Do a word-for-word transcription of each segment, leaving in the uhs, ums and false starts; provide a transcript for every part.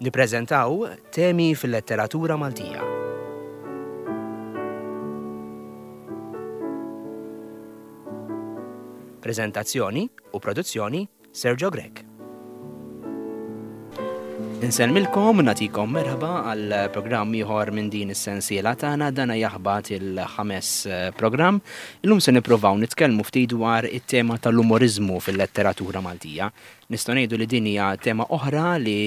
Nippreżentaw temi fil-letteratura Maltija. Preżentazzjoni u produzzjoni Sergio Grech. Insellmilkom, nagħtikom merħba għal programm ieħor minn din is-sensiela tagħna dana jaħbat il-ħames eh, programm. Illum se nippruvaw nitkellmu ftit dwar it-tema tal-umoriżmu fil-letteratura Maltija. Nistgħu ngħidu li din hija tema oħra li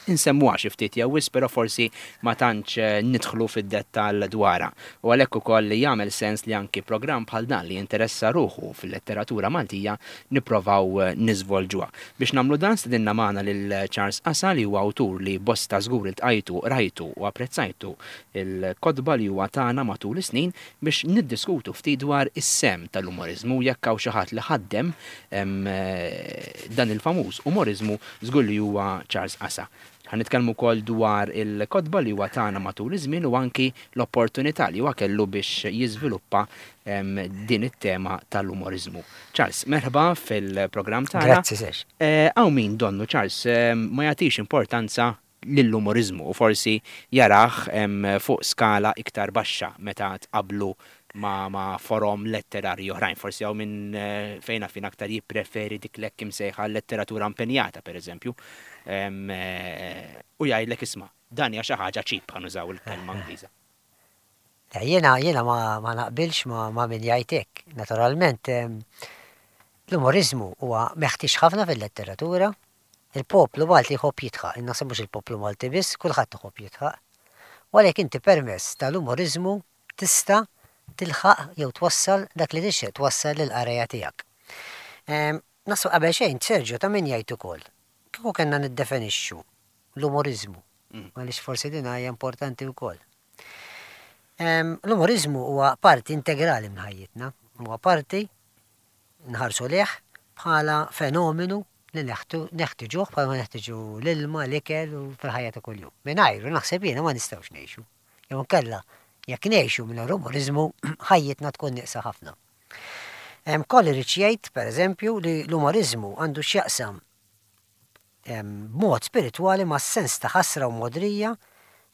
insemmuha xi ftit jew wisq, però forsi ma tantx eh, nidħlu fid-dettall dwarha. U għalhekk ukoll li jagħmel sens li anki programm bħal dan li jinteressa ruħu fil-letteratura Maltija nipprovaw eh, niżvolġuha. Biex nagħmlu dan stedinna magħna lil Charles Qasa li huwa awtur li bosta żgur iltqajtu, rajtu u apprezzajtu il-kotba li huwa tagħna matul is-snin biex niddiskutu ftit dwar is-sem tal-umoriżmu jekk hawn xi ħadd li ħaddem em, eh, dan il-famuż umoriżmu żgur li huwa Charles Qasa. Ħa nitkellmu wkoll dwar il-kotba li huwa tagħna matul iż-żmien u anki l-opportunità li huwa kellu biex jiżviluppa em, din it-tema tal-umoriżmu. Charles, merħba fil-programm tagħna. Grazzi, Serge. Eh, Hawn min donnu Charles eh, ma jagħtix importanza lill-umoriżmu u forsi jarah em, fuq skala iktar baxxa meta tqablu ma, ma forom letterarji oħrajn. Forsi hawn minn eh, fejn fin aktar jippreferi dik l-hekk imsejħa letteratura impenjata, per eżempju. Em, eh, U jgħidlek isma' dan hija xi ħaġa cheap ħa nużaw il-kelma Ingliża. Le, Jiena jiena ma, ma naqbilx ma, ma min jgħid hekk. Naturalment, em, l-umoriżmu huwa meħtieġ ħafna fil-letteratura. Il-poplu Malti jħobb jidħaq, naħseb mhux il-poplu Malti biss, kulħadd iħobb jidħaq. U għalhekk inti permezz tal-umoriżmu tista' tilħaq jew twassal dak li tixtieq twassal lill-qarejja tiegħek. Em, Naħseb qabel xejn, Sergio, ta' min jgħid ukoll. Kieku kellna niddefinixxu l-umoriżmu, Mm. għaliex forsi din hija importanti wkoll. Em, L-umoriżmu huwa parti integrali minn ħajjitna, huwa parti nħarsu lejh bħala fenomenu li neħtu- neħtiġuh bħala ma neħtiġu l-ilma, l-ikel u fil-ħajja ta' kuljum. Mingħajru naħseb jiena ma nistgħux ngħixu. Jew inkella jekk ngħixu mingħajr umoriżmu ħajjitna tkun nieqsa ħafna. Hemm Coleridge jgħid, pereżempju, li l-umoriżmu għandu x'jaqsam em, b'mod spiritwali ma' sens ta' ħasra u modrija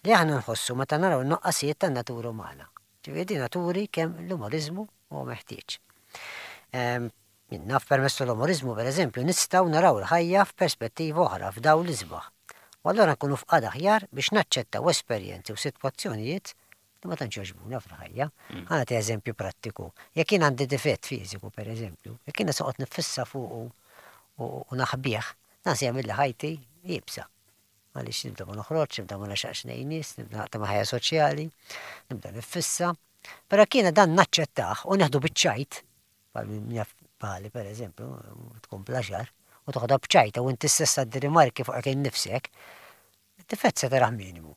li aħna nħossu meta naraw n-noqqasijiet tan-natura umana. Ġifieri din turi kemm l-umoriżmu huwa meħtieġ. Em, Jien naf permezz tal-umoriżmu, pereżempju, nistgħu naraw il-ħajja f'perspettiva oħra, f'dawl isbaħ. U allura nkunu f'qagħda aħjar biex naċċettaw esperjenzi u sitwazzjonijiet li ma tantx jogħġbuna fil-ħajja. Ħa nagħti eżempju prattiku. Jekk jien għandi difett fiżiku, pereżempju, jekk jiena soqgħod nifissa fuqu u u naħbih, dan se jagħmel li ħajti iebsa. Għaliex nibda ma noħroġ, nibda ma nagħxaqx lejn nies, nibda naqta' ma' ħajja soċjali, nibda nifissa. Però jekk jiena dan naċċettah u neħdu biċ-ċajt, bħal min jaf bħali pereżempju, tkun bla xagħar, u toħodha b'ċajta u inti stess tgħaddi rimarki fuq innifsek, difett se tarah minimu.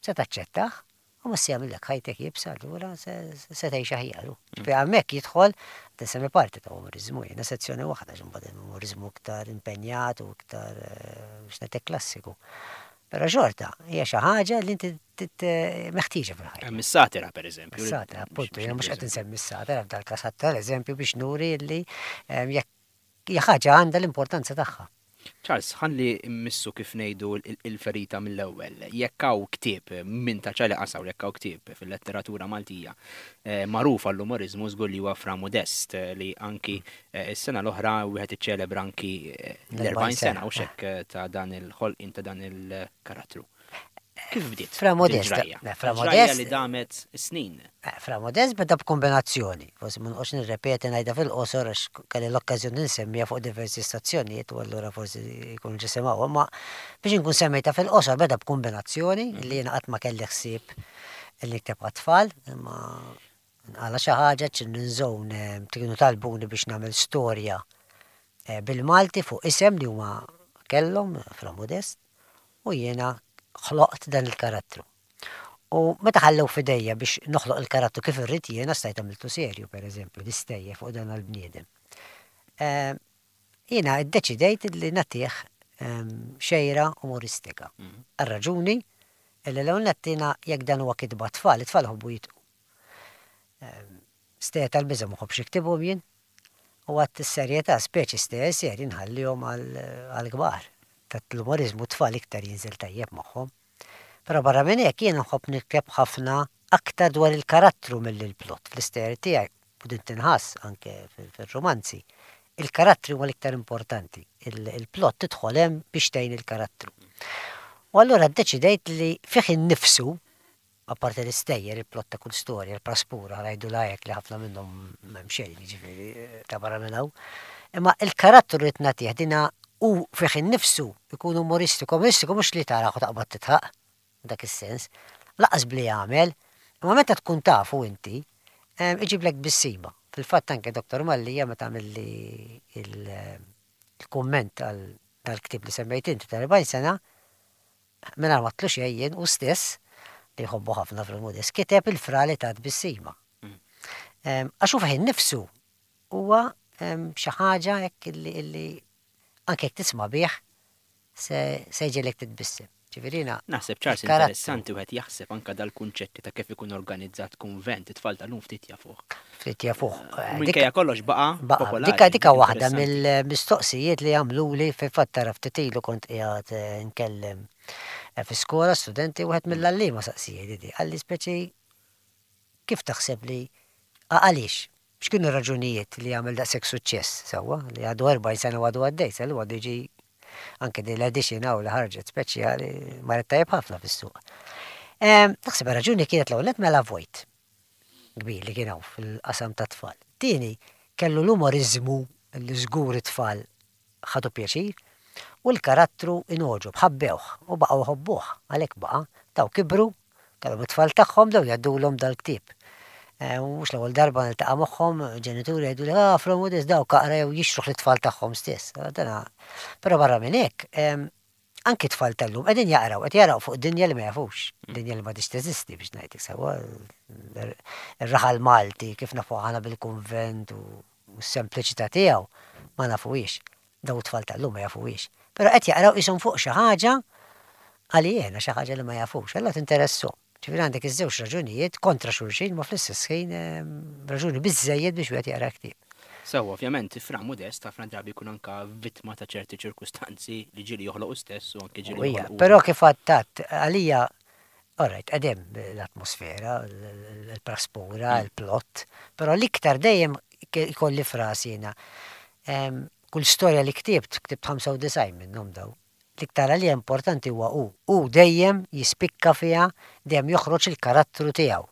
Se taċċettah u ma se jagħmillek ħajtek iebsa, allura se se tgħix aħjar. Ġifieri hemmhekk jidħol tinsemmi parti ta' umoriżmu, jiena sezzjoni waħda x'imbagħad hemm umoriżmu iktar impenjat u iktar eh, biex ngħidlek klassiku. Però xorta hija xi ħaġa li inti tit- meħtieġa fil-ħajja. Hemm is-satira pereżempju. Is-satira, appuntu, jiena mhux qed insemmi s-satira f'dal-każ ħadd l-eżempju biex nuri li em, jekk hija ħaġa għandha l-importanza tagħha. Charles, ħalli mmissu kif ngħidu il- il-ferita mill-ewwel. Jekk hawn ktieb minn ta' Charlie Qasa u jekk hawn ktieb fil-letteratura Maltija eh, magħruf għall-umoriżmu żgur li huwa Fra Modest eh, li anki eh, is-sena l-oħra wieħed iċċelebra anki eh, l-erbgħin sena u xek eh, ta' dan il-ħolqien ta' dan il-karattru. Kif bdiet? Fra Modest, il-ġrajja? le, Fra Il-ġrajja Modest- li damet snin. Eh, Fra Modest beda b'kombinazzjoni, forsi ma noqgħodx nirrepeti ngħidha fil-qosor għax kelli l-okkażjoni nsemmiha fuq diversi stazzjonijiet u allura forsi jkunu ġa semgħuha, imma biex inkun semmejtha fil-qosor beda b'kombinazzjoni li jiena qatt ma kelli ħsieb li nikteb għat-tfal, imma nqala xi ħaġa Children's Zone eh, kienu talbuni biex nagħmel storja eh, bil-Malti fuq isem li huma kellhom Fra Modest u jiena ħloqt dan il-karattru. U meta ħallew f'idejja biex noħloq il-karattru kif irrid jiena stajt għamiltu serju, per eżempju, l-istejjer fuq dan il-bniedem. Eh, Jiena iddeċidejt li nagħtih ehm, xejra umoristika. Għar-raġuni illi l-ewwel nettina jekk dan huwa kitba tfal, it-tfal ħobbu jidħku. Stejjer tal-biża' ma nħobbx niktibhom jien, u għat is-serjetà speċi stejjer serji nħallihom għal-kbar. tal-umoriżmu tfal iktar jinżel tajjeb magħhom. Però barra minn hekk jiena nħobb nikteb ħafna aktar dwar il-karattru mill-plot fl-istejjer tiegħi u din tinħass anke fil-romanzi. Il-karattri huwa l-iktar importanti. Il-plot tidħol hemm biex tgħin il-karattru. U allura ddeċidejt li fih innifsu, apparti l-istejjer, il-plot ta' kull storja, il-praspura, ngħidu lajek li ħafna minnhom m'hemm xejn, jiġifieri ta' barra minn hawn. Imma il-karattru li tnagħtih dina u fih innifsu ikun umoristiku, umoristiku mhux li taraħ u taqbad titħaq, dak is-sens, laqas bli jagħmel, imma meta tkun tafu inti, iġiblek tbissima. Fil-fatt anke Doktor Mallia meta għamilli il-kumment għal dal-ktieb li semmejt inti ta' erbgħin sena, mingħajr ma tlu xejn u stess li jħobbu ħafna fil-Modest, kiteb il-fra li ta' tbissima. Għax hu fih innifsu huwa xi ħaġa hekk illi anke jekk tisma' bih se jġegħlek titbissem. Ġifieri Naħseb, Charles, interessanti wieħed jaħseb anke dal-kunċetti ta' kif ikun organizzat kunvent, it-tfal tal-lum ftit jafuh. Ftit jafuh. Minkejja kollox baqa' popolari. Dika dika waħda mill-mistoqsijiet li għamluli. Fil-fatt tara ftit ilu kont qiegħed nkellem fi skola studenti, wieħed mill-għalliema saqsijiet di. Qalli speċi kif taħseb li għaliex? X'kienu raġunijiet li għamel daqshekk suċċess sewwa li għadu erbgħin sena u għadu għaddej, sal għadu jiġi anke din l-edition hawn li ħarġet speċjali marret tajjeb ħafna fis-suq. Naħseb raġuni kienet l-ewwel mela vojt kbir li kien hawn fil-qasam ta' tfal. Tieni, kellu l-umoriżmu li żgur it-tfal ħadu pjaċir u l-karattru inogħġob, ħabbewh u baqgħu jħobbuh, għalhekk baqa' daw kibru, kellhom it-tfal tagħhom daw jgħaddulhom dal-ktieb. U mhux l-ewwel darba niltaqa' magħhom ġenituri jgħidu li ah Fra Modest daw kaqra jew jixtruh lit-tfal tagħhom stess. Dana, però barra minn hekk, anki tfal tal-lum qegħdin jaqraw, qed jaqraw fuq dinja li ma jafux, dinja li m'għadix teżisti biex ngħidlek sewwa. Ir-raħal Malti kif nafu aħna bil-kunvent u s-sempliċità tiegħu ma nafuhiex. Daw tfal tal-lum ma jafuhiex. Però qed jaqraw qishom fuq xi ħaġa għalijena, xi ħaġa li ma jafux, allura tinteressu. Ġifieri għandek iż-żewġ raġunijiet kontra xulxin ma fl-istess ħin raġuni biżżejjed biex wieħed jaqra ktieb. Sewwa, ovvjament, Fra Modest ħafna drabi jkun anka vittma ta' ċerti ċirkustanzi li ġieli joħloqu stess u anke ġieli joħloqu. Però kif għattat, għalija, alright, qegħdem l-atmosfera, l-praspura, il-plot, però l-iktar dejjem ikolli frasi jiena. Kull storja li ktibt, ktibt ħamsa u disgħin minnhom daw. L-iktar għalija importanti huwa hu. Hu dejjem jispikka fiha, dejjem joħroġ il-karattru tiegħu.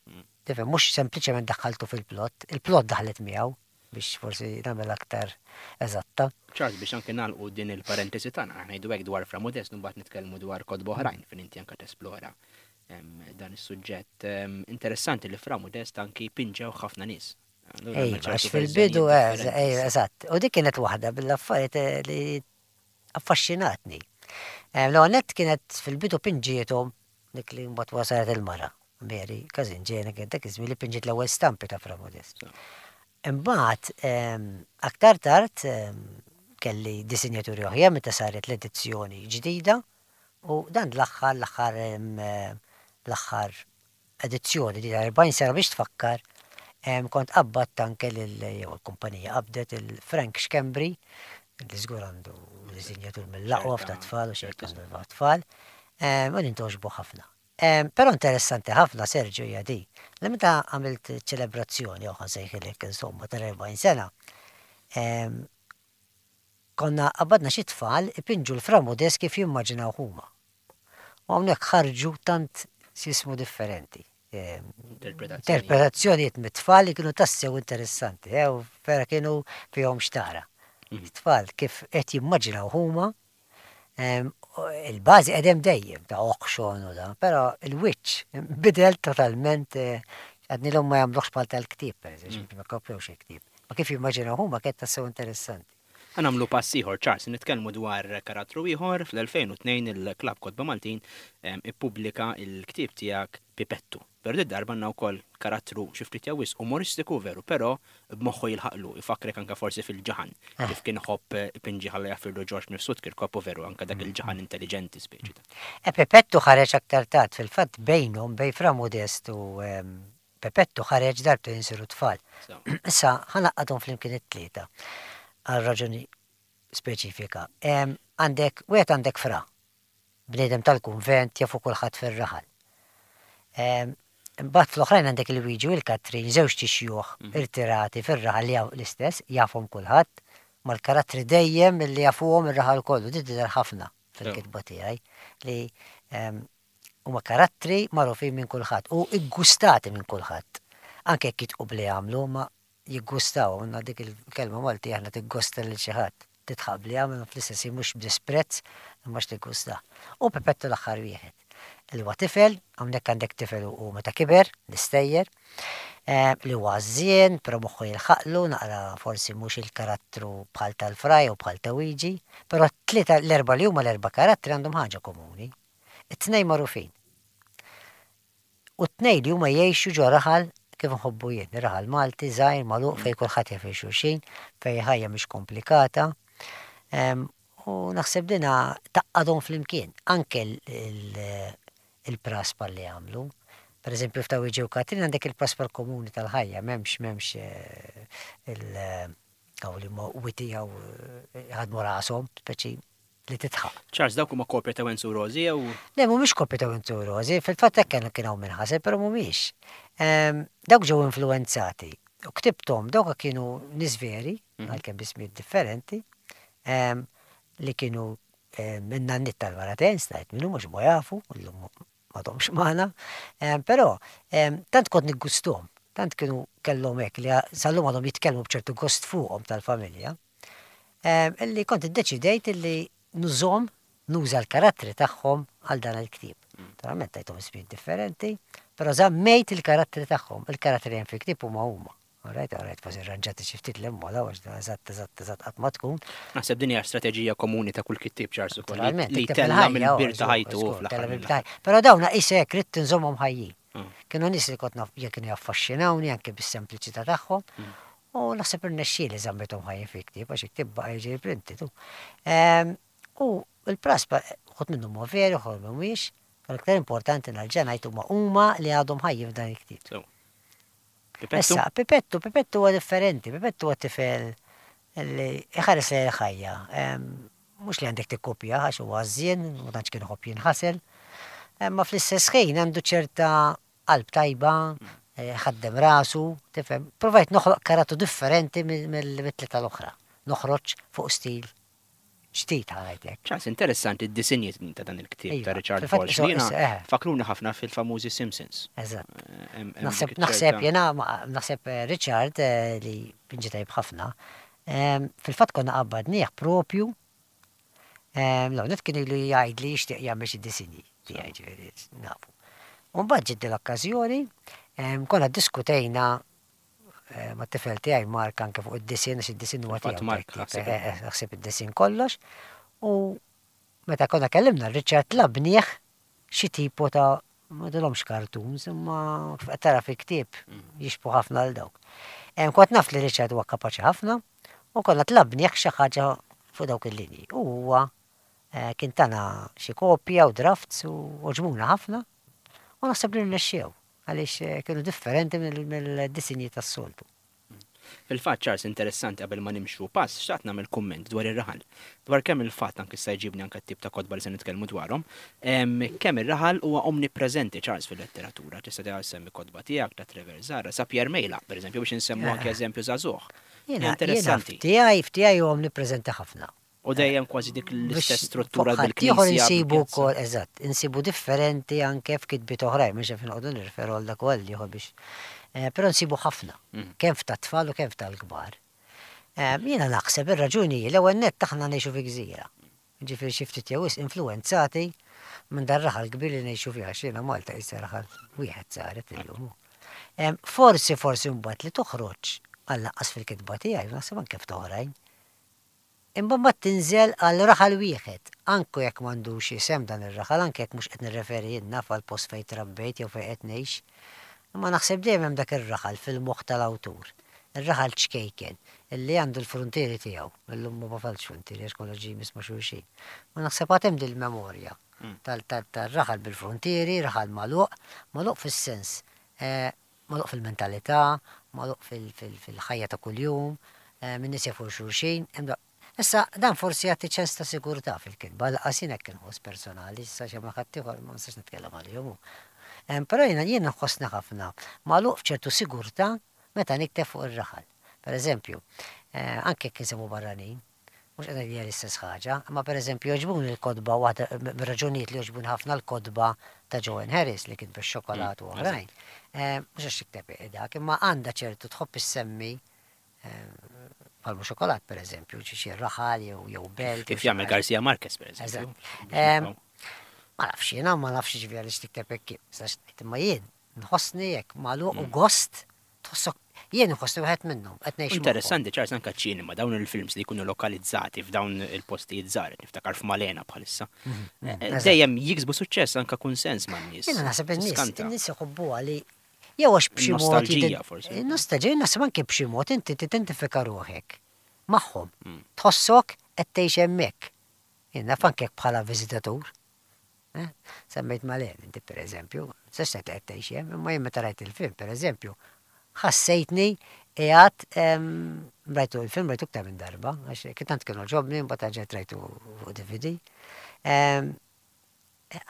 Tifhem, mhux sempliċement daħħaltu fil-plot, il-plot daħlet miegħu biex forsi nagħmel aktar eżatta. Charles, biex anke nagħlqu din il-parentesi tagħna, ngħidu hekk dwar Fra Modest, mbagħad nitkellmu dwar kotba oħrajn fejn inti anke tesplora dan is-suġġett. Interessanti li Fra Modest anki pinġew ħafna nies. Ejja, għax fil-bidu, eżatt. U dik kienet waħda bil-affarijiet li affaxxinatni. L-għonet kienet fil-bidu pinġietom dik li mbagħad wasalet il-mara, Mary Każinġena, kienet dak iż-żmien li pinġiet l-ewwel stampi ta' Fra Modest. Imbagħad aktar tard kelli disinjaturi oħra meta saret l-edizzjoni ġdida u dan l-aħħar l-aħħar l-aħħar edizzjoni di ta' erbgħin sena biex tfakkar kont qabbadt anke lil jew il-kumpanija qabdet il-Frank Schembri li żgur għandu disinjatur mill-aqwa ta' tfal u xejn għandu tfal, u nintogħġbu ħafna. Però interessanti ħafna, Sergio, hija di. Li meta għamilt ċelebrazzjoni, jew ħa nsejħilek insomma, tal-erbgħin sena, konna qabadna xi tfal ipinġu l-Fra Modest kif jimmaġinaw huma. U hawnhekk ħarġu tant sismu differenti. Interpretazzjonijiet mit-tfal li kienu tassew interessanti, u vera kienu fihom xtara. Tfal kif qed jimmaġinaw huma, il-bażi qegħdem dejjem ta' oħxon u da, però il-wiċċ bidel totalment, għadni l-hom ma jagħmluhx bħal tal-ktieb, pereżempju, ma kopjewx il-ktieb. Ma kif jimmaġinaw huma kienet tassew interessanti. Ħa nagħmlu pass ieħor, Charles, nitkellmu dwar karattru ieħor. Fl-elfejn u tnejn il-Klabb Kotba Maltin ippubblika il-ktieb tiegħek Pipettu. Però din darba għandna wkoll karattru xi ftit jew wisq umoristiku veru, però b'moħħu jilħaqlu, ifakrek anke forsi fil-ġaħan, kif kien iħobb ipinġi ħalla jaffirlu Ġorġ Mifsud Kirkop u veru anke dak il-ġaħan intelligenti speċi ta'. E Pipettu ħareġ aktar tard, fil-fatt bejnhom bejn Fra Modest u Pipettu ħareġ darbtejn insiru tfal. Issa ħa naqgħadhom flimkien it-tlieta. Għal raġuni Speċifika. Għandek, wieħed għandek fra, bniedem tal-kunvent jafu kulħadd fir-raħal. Imbagħad fl-oħrajn għandek il-Wiġi u l-Katrin, żewġ xjuħ mhm. irtirati fir-raħal li l-istess, jafhom kulħadd, mal-karattri dejjem li jafuhom ir-raħal kollu, di tidher ħafna fil-kitba tiegħi li huma karattri magħrufin minn kulħadd u iggustati minn kulħadd. Anke jekk jitqu bli għamlu, ma jiggustaw, għandna dik il-kelma Malti aħna tiggosta lil xi ħadd. Tidħaq bli għamel fl-istess mhux b'disprezz imma x'tiggusta. U Pepettu l-aħħar wieħed. Li huwa tifel, hawnhekk għandek tifel u meta kiber, l-istejjer, eh, li huwa żjien, però moħħu jilħaqlu, naqra forsi mhux il-karattru bħal tal-Fraj u bħal ta' Wiġi, però t-tlieta l-erba' li huma l-erba' karattri għandhom ħaġa komuni. It-tnejn magħrufin. U t-tnejn li huma jgħixu ġo raħal kif nħobbu jien, raħal Malti, żgħir, magħluq fejn kulħadd jaf xulxin, fejn ħajja mhix komplikata. U naħseb dina tgħaqqadhom flimkien, anke il-praspa li għamlu. Per eżempju, f'ta' Wiġi u Katrin għandek il-praspa l-komuni tal-ħajja, m'hemmx m'hemmx eh, il- għaw li ma witi għaw eh, ħadmu rashom, speċi li titħaq. Charles, dawk huma kopja ta' Wenzu Rosi jew? Le, mhumiex kopja ta' Wenzu Rosi, fil-fatt hekk kienu kien hawn min ħaseb, però mhumiex. Ehm, dawk ġew influenzati. U ktibthom dawk kienu nies veri, mhm. għalkemm b'ismijiet differenti, ehm, li kienu ehm, minna n tal-maraten, stajt minnu mhux ma jafu, illum m'għadhomx magħna, però tant kont niggustom, tant kienu kellhom hekk li sal-lum għadhom jitkellmu b'ċertu gost fuqhom tal-familja, illi kont iddeċidejt illi nużhom, nuża l-karattri tagħhom għal dan il-ktieb. Mm. Naturalment tajthom ismijiet differenti, però żammejt il-karattri tagħhom. Il-karattri hemm fil-ktieb huma huma. Alright, alright, forsi rranġati xi ftit l-immola, għax eżatt, eżatt, eżatt qatt ma tkun. Naħseb din hija strateġija komuni ta' kull kittieb Charles ukoll. Li tella mill-bir ta' ħajtu fl-aħħar. Però dawn qisek ridt inżommhom ħajjin. Mm. Kienu nies li kont naf kienu jaffaxxinawni anke bis-sempliċità tagħhom. Mm. U naħseb irnexxieli żammithom ħajjin fil-ktieb għax il-ktieb baqa' jiġi printed. Ehm, u l-praspa, uħud minnhom huma veri, uħud mhumiex, però l-iktar importanti nerġa' ngħid huma huma li għadhom ħajjin f'dan il-ktieb. Issa, Pipettu, Pipettu huwa differenti, Pipettu huwa tifel li iħares lejn il-ħajja. Ehm, mhux li għandek tikkopja għax huwa għażżien, ma tantx kien iħobb jinħasel. Imma fl-istess ħin għandu ċerta qalb tajba, eh, ħaddem rasu, tifhem. Provajt noħloq karattru differenti mill-tlieta l-oħra. Noħroġ fuq stil ġdid ħa ngħidlek. Charles, interessanti d-disinji ta' dan il-ktieb ta' iva, Richard Walsh. Eh. Fakruni ħafna fil-famużi Simpsons. Eżatt. Eh, naħseb naħseb jena naħseb eh, Richard li pinġi tajb ħafna. Fil-fatt konna qabbadnieh propju l-għonet kien ilu jgħid li jixtieq jagħmel xi disinji tiegħi ġifieri nafu. U mbagħad ġiet l-okkażjoni, konna ddiskutejna eh, mat-tifel tiegħi Mark anke fuq id-disinn għax id-disinn huwa tiegħu. Mark eh, eh, ħsieb id-disinn kollox. U meta konna kellimna Richard tlabnieh xi tipo ta' ma dilhomx cartoons, imma kif qed tara fi ktieb mm. jixbu ħafna għal dawk. Kont naf li Richard huwa kapaċi ħafna u konna tlabnieh xi ħaġa fuq dawk il-linji. U huwa eh, kien tana xi kopja u drafts u għoġbuna ħafna u naħseb li rnexxew għaliex eh, kienu differenti mill-disinji tas-soltu. Fil-fatt, Charles, interessanti qabel ma nimxu pass, xtaqt nagħmel kumment dwar ir-raħal. Dwar kemm il-fatt anke issa jġibni anke t-tip ta' kotba li se nitkellmu dwarhom, kemm ir-raħal huwa omnipreżenti Charles fil-letteratura. Tista' tgħid semmi kotba tiegħek ta' Trevor Zahra, sa Pierre Mejlaq, pereżempju, biex insemmu anke eżempju żagħżugħ. Jiena Interessanti. F'tiegħi f'tiegħi huwa omnipreżenti ħafna. U dejjem kważi dik l-istess struttura bil-knisja. Insibu wkoll, eżatt, insibu differenti anke f'kitbiet oħrajn, mhux qed noqogħdu nirreferu għal dak u għal ieħor biex. Eh, però nsibu ħafna, mm. kemm f'tat-tfal u kemm f'tal-kbar. Eh, jiena naħseb ir-raġuni l-ewwel nett aħna ngħixu fi gżira. Ġifieri xi ftit jew wisq influwenzati minn dar raħal kbir li ngħixu fiha x'jiena Malta issa raħal wieħed saret illum. Eh, forsi forsi mbagħad li toħroġ għall-anqas fil-kitba tiegħi, naħseb anke f'oħrajn, Imma mbagħad tinżel għal raħal wieħed, anke jekk m'għandux isem dan ir-raħal, anke jekk mhux qed nirreferi jien naf għall-post fejn trabbejt jew fejn qed ngħix. Imma naħseb dejjem hemm dak ir-raħal fil-moħħ tal-awtur, ir-raħal ċkejken, illi għandu l-fruntieri tiegħu. Illum ma bafalx fruntieri għax kollox ġie jmiss ma' xulxin. Ma naħseb għad hemm dil-memorja tar-raħal bil-fruntieri, raħal magħluq, magħluq fis-sens magħluq fil-mentalità, magħluq fil-ħajja ta' kuljum, in-nies jafu 'l xulxin. Issa, dan forsi jagħti ċens ta' sigurtà fil-kitba, lanqas jien hekk inħoss personali, issa xi ma ħaddieħor ma nistax nitkellem għalihom. Però jiena jien nħossni ħafna magħluq f'ċertu sigurtà meta nikteb fuq ir-raħal. Per eżempju, eh, anke jekk insemmu barranin, mhux qed ngħid l-istess ħaġa, imma per eżempju jogħġbuni l-kotba waħda mir-raġunijiet li jogħġbuni ħafna l-kotba ta' Joanne Harris li kien bix-xokolat u oħrajn. Eh, mhux għax tikteb dak, imma għandha ċertu tħobb issemmi palmu xokolat per eżempju, xi raħal jew jew belt. Kif jagħmel Garcia Marquez per eżempju. Ma nafx jiena, ma nafx ġifieri għaliex tikteb hekk, imma jien nħossni hekk magħluq u gost tħossok jien nħossni wieħed minnhom qed ngħix. Interessanti ċars anke ċinema dawn il-films li jkunu lokalizzati f'dawn il-postijiet żgħar, niftakar f'Malena bħalissa. Mhm, mhm, Dejjem jiksbu suċċess anke kunsens man-nies. Jiena naħseb in-nies in-nies iħobbuha li jew għax b'xi mod. Nostalġija forsi. Nostalġija naħseb anke b'xi mod inti tidentifika ruħek magħhom. Mm. Tħossok qed tgħix hemmhekk. Jien naf anke bħala viżitatur. Eh? Semmejt Malena, inti per eżempju, sex qed tgħix hemm, imma jien meta rajt il-film, per eżempju, ħassejtni qiegħed rajtu il-film rajtu iktar minn darba, għax tant kienu għoġobni, mbagħad ġejt rajtu fuq D V D.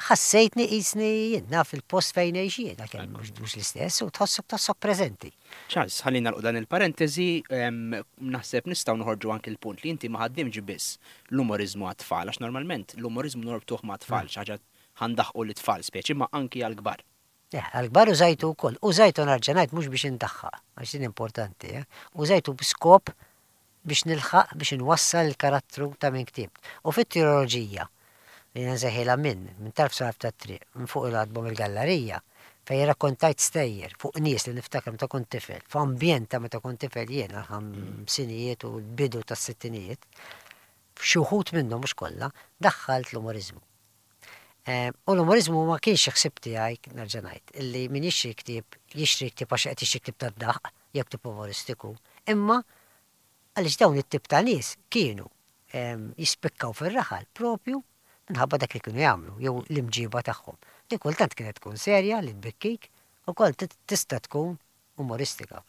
Ħassejtni qisni jien naf il-post fejn ngħix jien, għalkemm mhux l-istess, u tħossok tħossok preżenti. Charles, ħalli nagħlqu dan il-parentesi, naħseb nistgħu noħorġu anke l-punt li inti ma ħaddimx biss l-umorizmu għat-tfal, għax normalment l-umorizmu norbtuh ma' tfal, xi ħaġa ħa ndaħħqu l-tfal speċi, ma anki għal-kbar. Għal-kbar użajtu wkoll. Użajtu nerġa' ngħid mhux biex indaħħaq, għax din importanti, eh? Użajtu b'skop biex nilħaq biex nwassal il-karattru ta' min ktibt. U fit-trilogija, li nsejħilha minn, minn tarf sa tarf tat-triq, minn fuq il-għatba mill-gallerija, fejn rakkontajt stejjer fuq nies li niftakar meta kont tifel, f'ambjent ta' meta kont tifel jien għal-ħamsinijiet u l-bidu tas-sittinijiet, f'xi wħud minnhom, mhux kollha, daħħalt l-umorizmu. Eh, U l-umorizmu ma kienx ħsib tiegħi, nerġa' ngħid, illi min jixtri ktieb, jixtri ktieb għax qed jixtri ktieb tad-daħq jew ktieb umoristiku, imma għaliex dawn it-tip ta' nies kienu em, jispikkaw fir-raħal propju minħabba dak li kienu jagħmlu jew l-imġiba tagħhom. Li kultant kienet tkun serja li tbikkik u kol tista' tkun umoristika.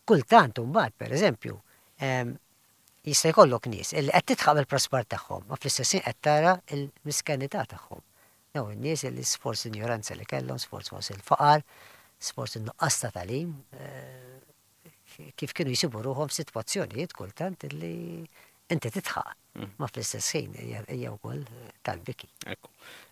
Kultant imbagħad pereżempju, em, jista' jkollok nies illi qed tidħaq bil-praspar tagħhom, ma fl-istess ħin qed tara l-miskenità tagħhom. Dawn in-nies illi sforz ignoranza li kellhom, sforz forsi il-faqar, sforz in-nuqqas ta' tagħlim, eh, kif kienu jsibu ruħhom f'sitwazzjonijiet kultant illi inti tidħaq, ma fl-istess ħin hija hija wkoll tal-biki. Ekku.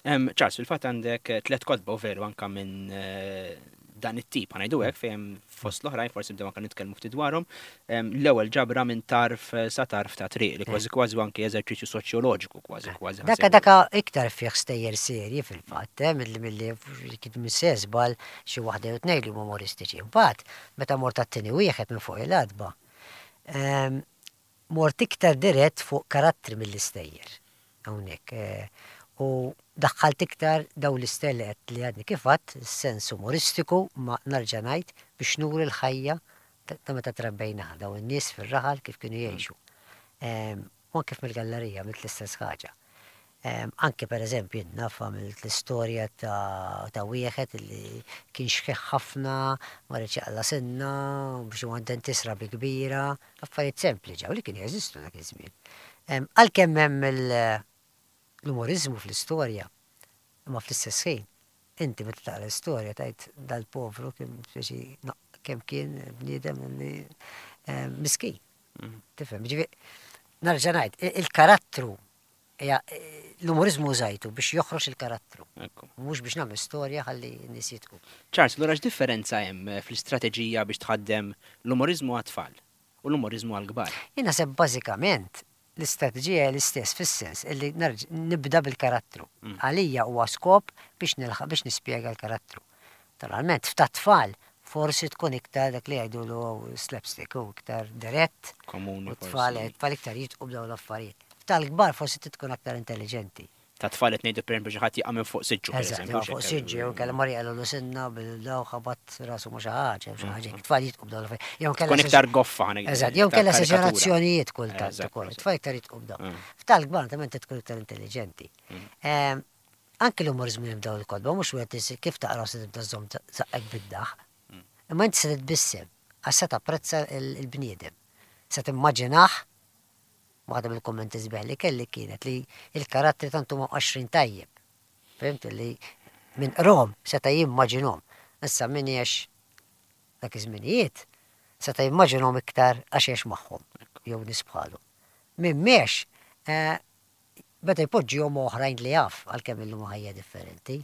Em, Charles, fil-fatt għandek eh, tlet kotba u veru anka minn eh, dan it-tip, ħa ngħidu hekk, fejn fost l-oħrajn forsi bdew anka nitkellmu ftit dwarhom. Em, L-ewwel ġabra minn tarf eh, sa tarf ta' triq li kważi kważi anke eżerċizzju soċjoloġiku kważi kważi. Daka daka iktar fih stejjer serji fil-fatt, eh, milli milli kien mis-sesbal xi waħda jew tnejn li huma umoristiċi. Mbagħad meta mort għat-tieni wieħed minn fuq il-għatba, em, mort iktar dirett fuq karattri mill-istejjer. Hawnhekk. eh, U daħħalt iktar daw l-istejjer li għadni kif għedt, sens umoristiku, ma nerġa' ngħid biex nuri l-ħajja ta' ta' meta trabbejna daw in-nies fir-raħal kif kienu jgħixu. Em, U anke mill-gallerija għamilt l-istess ħaġa. Em, Anke per eżempju naf għamilt l-istorja ta' ta' wieħed li kien xħiħ ħafna, ma riedx jaqla' sinna, biex huwa dentist rabi kbira, affarijiet sempliċi li kienu jeżistu dak iż-żmien. Em, Għalkemm hemm il- l-umorizmu fl-istorja, imma fl-istess ħin, inti meta taqra l-istorja tgħid dal-povru kien speċi kemm kien bniedem li eh, miskin. Tifhem, ġifieri, nerġa' ngħid, il- il-karattru hija l-umorizmu użajtu biex joħroġ il-karattru, Ekku. mhux biex nagħmel storja ħalli n-nies jidħku. Charles, allura x'differenza hemm eh, fl-istrateġija biex tħaddem l-umorizmu għat-tfal u l-umorizmu għal-kbar? Jien naħseb bażikament l-istrateġija hija l-istess fis-sens illi nerġ- nibda bil-karattru. Għalija huwa skop biex nilħaq biex nispjega l-karattru. Naturalment, f'ta' tfal forsi tkun iktar dak li jgħidulu slapstick u iktar dirett. Komuni U tfal, forsi. tfal iktar jidħku b'dawn l-affarijiet. Tal-kbar forsi tkun aktar intelligenti. Ta' tfal qed ngħidu pereżempju xi ħadd jaqa' minn fuq siġġu Eżatt, pereżempju. jew fuq siġġu, jew kellha mar jaqilgħu sinna bil-daw ħabat rasu ma' xi ħaġa, jew xi ħaġa. Tfal jidħku b'dawn l-affarijiet. Jew kellha Tkun iktar goffa ħa ngħidu. Eżatt, jew iktar kellha karikatura. esaġerazzjonijiet kultant Eżatt, ukoll. eżatt. Tfal iktar jidħku b'dawn. Mm. F'tal-kbar naturalment tkun iktar intelligenti. Ehm, Anke l-umorizmu hemm dawn il-kotba, mhux wieħed is- kif taqra se tibda żomm żaqqek bid-daħ. Imma inti se titbissem, għax se tapprezza il- il-bniedem. Se timmaġinah Waħda mill-kummenti sbieħ li kelli kienet li il-karattri tant huma mqaxxrin tajjeb. Fhimt li min qrahom seta' jimmaġinhom. Issa min għex dak iż-żminijiet seta' jimmaġinhom iktar għax għex magħhom jew nies bħalu. Min m'għex eh, beda jpoġġihom oħrajn li jaf għalkemm illum ħajja differenti.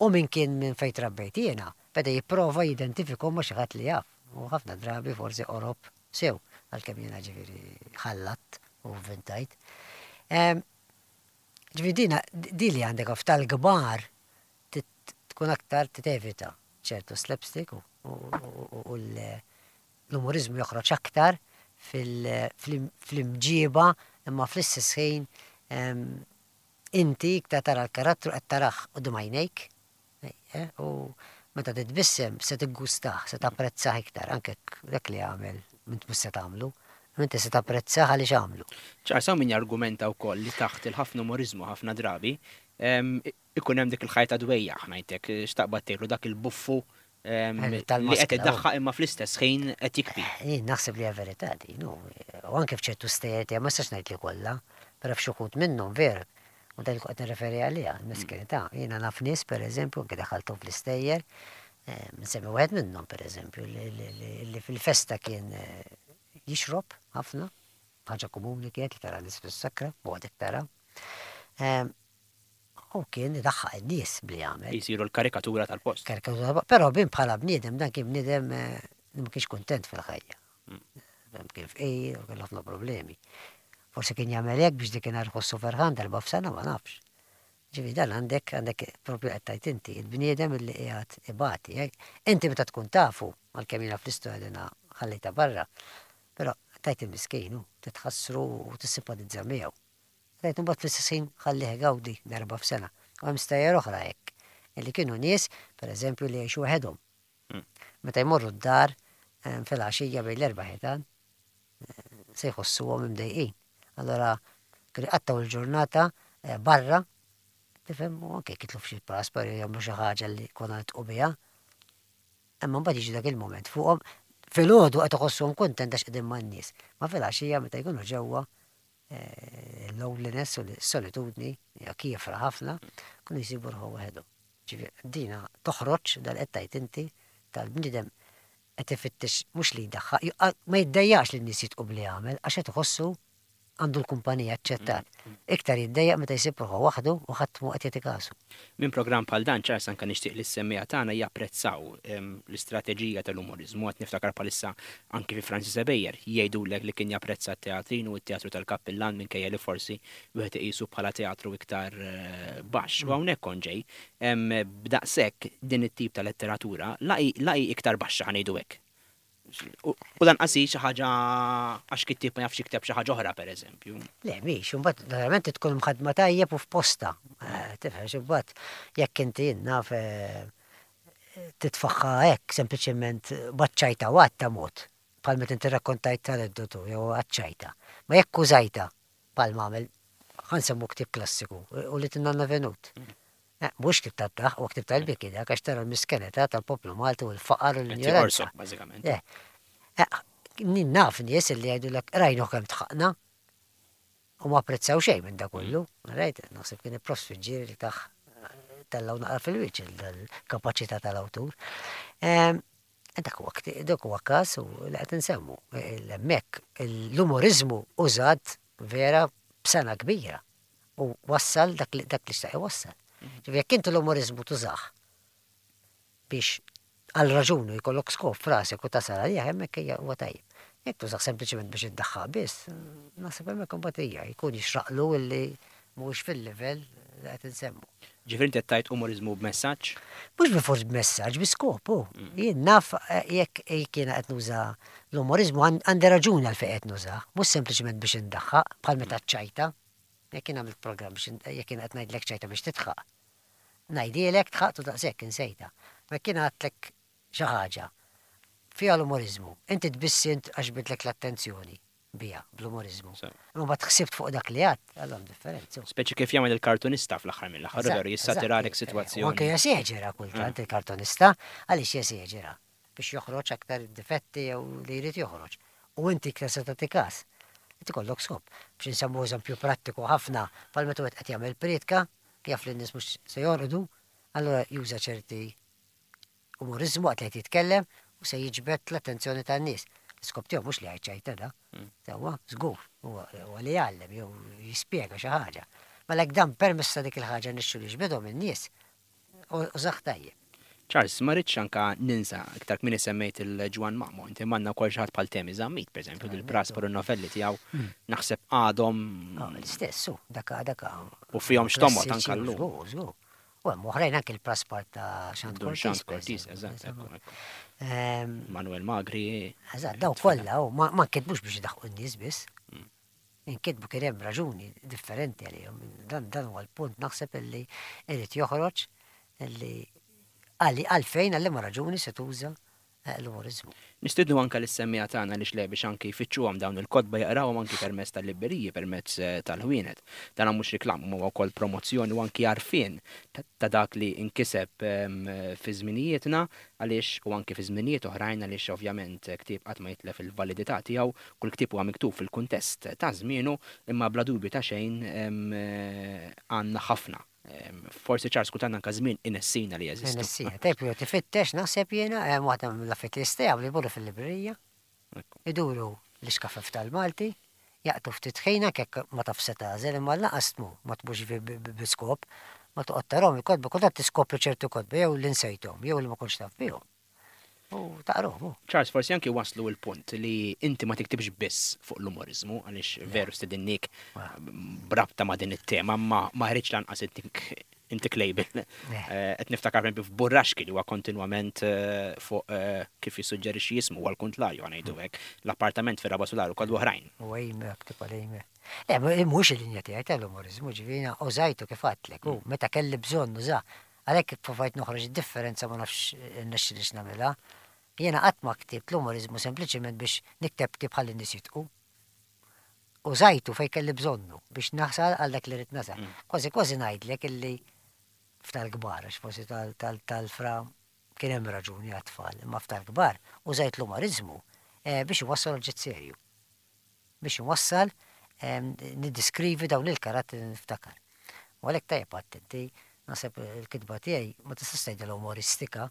U min kien minn fejn trabbejt jiena, beda jipprova jidentifikhom ma' xi ħadd li jaf. U ħafna drabi forsi qorob sew, għalkemm jiena ġifieri ħallatt u vvintajt. Ġifieri dina di li għandek tal-kbar tkun aktar tevita ċertu slapstick u l-umorizmu joħroġ aktar fl-imġiba imma fl-istess ħin inti iktar tara l-karattru qed tarah quddiem għajnejk eh, u meta titbissem se tiggustah, se tapprezzah iktar, anke dak li għamel m'int mhux se tagħmlu, inti se tapprezzah għaliex għamlu. Ċar, hawn min jargumenta wkoll li taħt il-ħafna umorizmu ħafna drabi ikun hemm dik il-ħajta dwejja, ngħidlek, xtaqbad tgħidlu dak il-buffu li qed iddaħħaq imma fl-istess ħin qed jikbi. Jien naħseb li hija verità din, u anke f'ċertu stejjer ma nistax ngħid li kollha, però f'xi wħud minnhom ver, u dak li qed nirreferi għaliha, l-meskinità. Jiena naf nies pereżempju, anke daħalthom fl-istejjer, nsemmi wieħed minnhom pereżempju li fil-festa kien jixrob ħafna, ħaġa komuni kienet li tara nies fis-sakra, u għadek tara. U kien idaħħaq in-nies bli jagħmel. Jisiru l-karikatura tal-post. Karikatura tal-post. Però bin bħala bniedem dan kien bniedem li ma kienx kuntent fil-ħajja. Kien fqir u kellu ħafna problemi. Forsi kien jagħmel hekk biex dik ħossu ferħan darba f'sena ma nafx. Ġifieri dan għandek għandek propju qed tgħid inti, il-bniedem li qiegħed ibati. Inti meta tkun tafu, għalkemm jiena fl-istorja dina ħallejta barra, però tgħid il-miskin titħassru u tissimpatizza miegħu. Tgħid imbagħad fl-istess ħin ħallih igawdi darba f'sena. U hemm stejjer oħra hekk, illi kienu nies, pereżempju, li jgħixu waħedhom. Meta jmorru d-dar fil-għaxija bejn l-erba' ħitan, se jħossuhom imdejqin. Allora kienu jqattgħu l-ġurnata barra, tifhem, u anke jitlu f'xi praspar jew jagħmlu xi ħaġa li konna nitqu biha. Imma mbagħad jiġi dak il-mument fuqhom filgħodu qed iħossuhom kuntent għax qegħdin man-nies. Ma fil-għaxija meta jkunu ġewwa il-loneliness u l-solitudni hija kiefra ħafna, kunu jsibu ruħhom waħedhom. Ġifieri dina toħroġ dal qed tgħid inti tal-bniedem qed ifittex mhux li jdaħħaq, ma jiddejjaqx li n-nies jitqu bli jagħmel għax qed iħossu għandu l-kumpanija aċċettat. Iktar jiddejjaq meta jsib ruħu waħdu u ħadd mhu qed jagħti kasu. Minn programm bħal dan ċars anke nixtieq li s-semmiegħa tagħna japprezzaw l-istrateġija tal-umorizmu qed niftakar bħalissa anke fi Francis Ebejer jgħidulek li kien japprezza t-teatrin u t-teatru tal-kappillan minkejja li forsi wieħed iqisu bħala teatru iktar baxx. U hawnhekk kont ġej b'daqshekk din it-tip ta' letteratura la hi iktar baxxa ħa ngħidu hekk. U lanqas hi xi ħaġa għax kittieb ma jafx jikteb xi ħaġa oħra pereżempju. Le, mhix, imbagħad naturalment tkun mħaddma tajjeb u f'posta. Tifhem imbagħad jekk inti naf titfaħħa hekk sempliċement baċċajta u għatta mod bħal meta inti rakkontajt aneddotu jew għaċċajta. Ma jekk użajta bħal għamel ħa nsemmu ktieb klassiku u li tinnanna Venut. Mhux ktieb tad-daħq, u ktieb tal-biki dak għax tara l-miskenità tal-poplu Malti u l-faqar u l-injoranza. Bażikament. Naf nies li jgħidulek rajnu kemm tħaqna u ma apprezzaw xejn minn da kollu. Rajt, naħseb kien il-Profs Fiġġieri li taħ tellaw naqra fil-wiċċ il-kapaċità tal-awtur. Dak huwa dak huwa każ u li qed insemmu. Hemmhekk l-umorizmu użat vera b'sena kbira u wassal dak li xtaq iwassal. Ġifieri jekk inti l-umorizmu tużah biex għal raġuni jkollok skop f'rasek u tasal għalih hemmhekk hija huwa tajjeb. Jekk tużah sempliċement biex iddaħħaq biss, naħseb hemmhekk imbagħad hija jkun jixraqlu illi mhuwiex fil-livell li qed insemmu. Ġifieri inti qed tgħid umorizmu b'messaġġ? Mhux bilfors b'messaġġ, bi skopu. Jien naf jekk jiena qed nuża l-umorizmu għandi raġuni għalfejn qed nużah, mhux sempliċement biex indaħħaq bħal meta ċajta. Jekk jien għamilt programm biex jekk jien qed ngħidlek ċajta biex tidħaq. Ngħidilek tħaqtu daqshekk insejta. Ma jekk jien għadtlek xi ħaġa fiha l-umorizmu, inti tbissint għax bidlek l-attenzjoni biha bl-umorizmu. Imma ma tħsibt fuq dak li għadt, għallhom differenza. Speċi kif jagħmel il-kartunista fl-aħħar mill-aħħar, veru jissatiralek sitwazzjoni. U anke jeseġera kultant il-kartunista, għaliex jeseġera biex joħroġ aktar difetti jew li jrid joħroġ. U inti iktar se tagħti każ. Inti kollok skop. Biex nsemmu eżempju prattiku ħafna, bħal meta wieħed qed jagħmel prietka, jaf li n-nies mhux se jorqdu, allura juża ċerti umoriżmu waqt li qed jitkellem u se jiġbed l-attenzjoni tan-nies. L-iskop tiegħu mhux li jgħid ċajta da. Sewwa, żgur, huwa li jgħallem jew jispjega xi ħaġa. Mela jekk dan permezz ta' dik il-ħaġa nixxu li jiġbedhom in-nies, użah tajjeb. Charles, ma rridx anka ninsa, iktar kmieni semmejt il-Ġwann Mamo, inti manna wkoll xi ħadd bħal Temi Zammit, pereżempju, dil-Praspar u novelli tiegħu naħseb għadhom. L-istess, su, daka daka. U fihom x'tomgħod anka llum. Żgur, żgur. U hemm oħrajn anke l-Praspar ta' Xand Cortis. Cortis, eżatt. Manuel Magri. Eżatt, daw kollha, ma nkitbux biex idaħħqu n-nies biss. Inkitbu kien hemm raġuni differenti għalihom. Dan dan huwa l-punt naħseb illi irid joħroġ illi għalli għalfejn għal liema raġuni se tuża l-umoriżmu. Nistidnu anka lis-semmiegħa tagħna li xle biex anki jfittxuhom dawn il-kotba jaqrawhom anki permezz tal-libberiji, permezz tal-ħwienet. Dan mhux reklam, huwa wkoll promozzjoni u anki għarfien ta' dak li inkiseb fi żminijietna għaliex u anki fi żminijiet oħrajn għaliex ovvjament ktieb qatt ma jitlef il-validità tiegħu, kull ktieb huwa miktub fil-kuntest ta' żmienu, imma bla dubju ta' xejn għandna ħafna. Forsi Charles kultant anka żmien inessina li jeżistu. Inessina, tajb jew tifittex naħseb jiena hemm waħda mill-affarijiet li jistgħu li jmorru fil-librerija. Iduru l-iskafef tal-Malti, jaqtu ftit ħina kekk ma taf se tagħżel imma lanqas tmur, ma tmurx bi skop, ma toqgħod tarahom il-kotba, kultant tiskopri ċertu kotba jew li nsejthom jew li ma kontx taf bihom. U taqruhom. Charles, forsi anki waslu l-punt li inti ma tiktibx biss fuq l-umoriżmu, għaliex veru stedinnik brabta ma' din it-tema, ma ma ħriġ lanqas intik label. Qed niftakar pereżempju f'Burraxki li huwa kontinwament fuq kif jissuġġerixxi jismu huwa l-kuntlarju ngħidu hekk, l-appartament fir-raba' sular u kollu oħrajn. U hejmek, tibqa' hejmek. Le, mhux il-linja tiegħi tal-umoriżmu, ġifieri użajtu kif għedtlek, u meta kelli bżonn nużah. Għalhekk provajt noħroġ id-differenza ma nafx nexxilix nagħmilha. Jiena qatt ma ktibt l-umoriżmu sempliċiment biex nikteb ktieb ħalli n-nies jitqu. Użajtu fejn kelli bżonnu biex naħsal għal dak li rrid nasal. Kważi kważi ngħidlek illi f'tal-kbar, għax forsi tal-fra kien hemm raġuni għat-tfal, imma f'tal-kbar użajt l-umoriżmu biex iwassal oġġett serju. Biex iwassal niddiskrivi dawn il-karattri li niftakar. U għalhekk tajjeb attenti, naħseb il-kitba tiegħi ma tistax tgħidilha umoristika,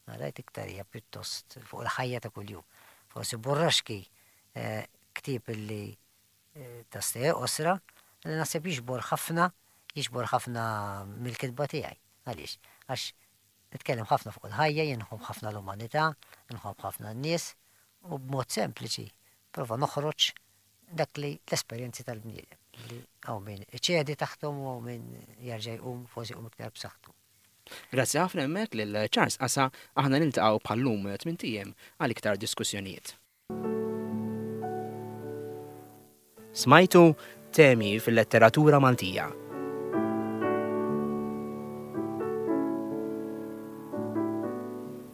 għalhekk iktar hija pjuttost fuq il-ħajja ta' kuljum. Forsi Burraxki ktieb illi ta' stejjer qosra li naħseb jiġbor ħafna, jiġbor ħafna mill-kitba tiegħi. Għaliex? Għax nitkellem ħafna fuq il-ħajja, jien nħobb ħafna l-umanità, nħobb ħafna n-nies u b'mod sempliċi prova noħroġ dak li l-esperjenzi tal-bniedem li hawn min iċedi taħthom u hawn min jerġa' jqum forsi jqum iktar b'saħħtu. Grazzi ħafna hemmhekk lil Charles Qasa, aħna niltaqgħu bħal-lum tmint ijiem għal iktar diskussjonijiet. Smajtu temi fil-letteratura Maltija.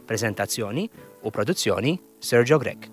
Prezentazzjoni u produzzjoni Sergio Grech.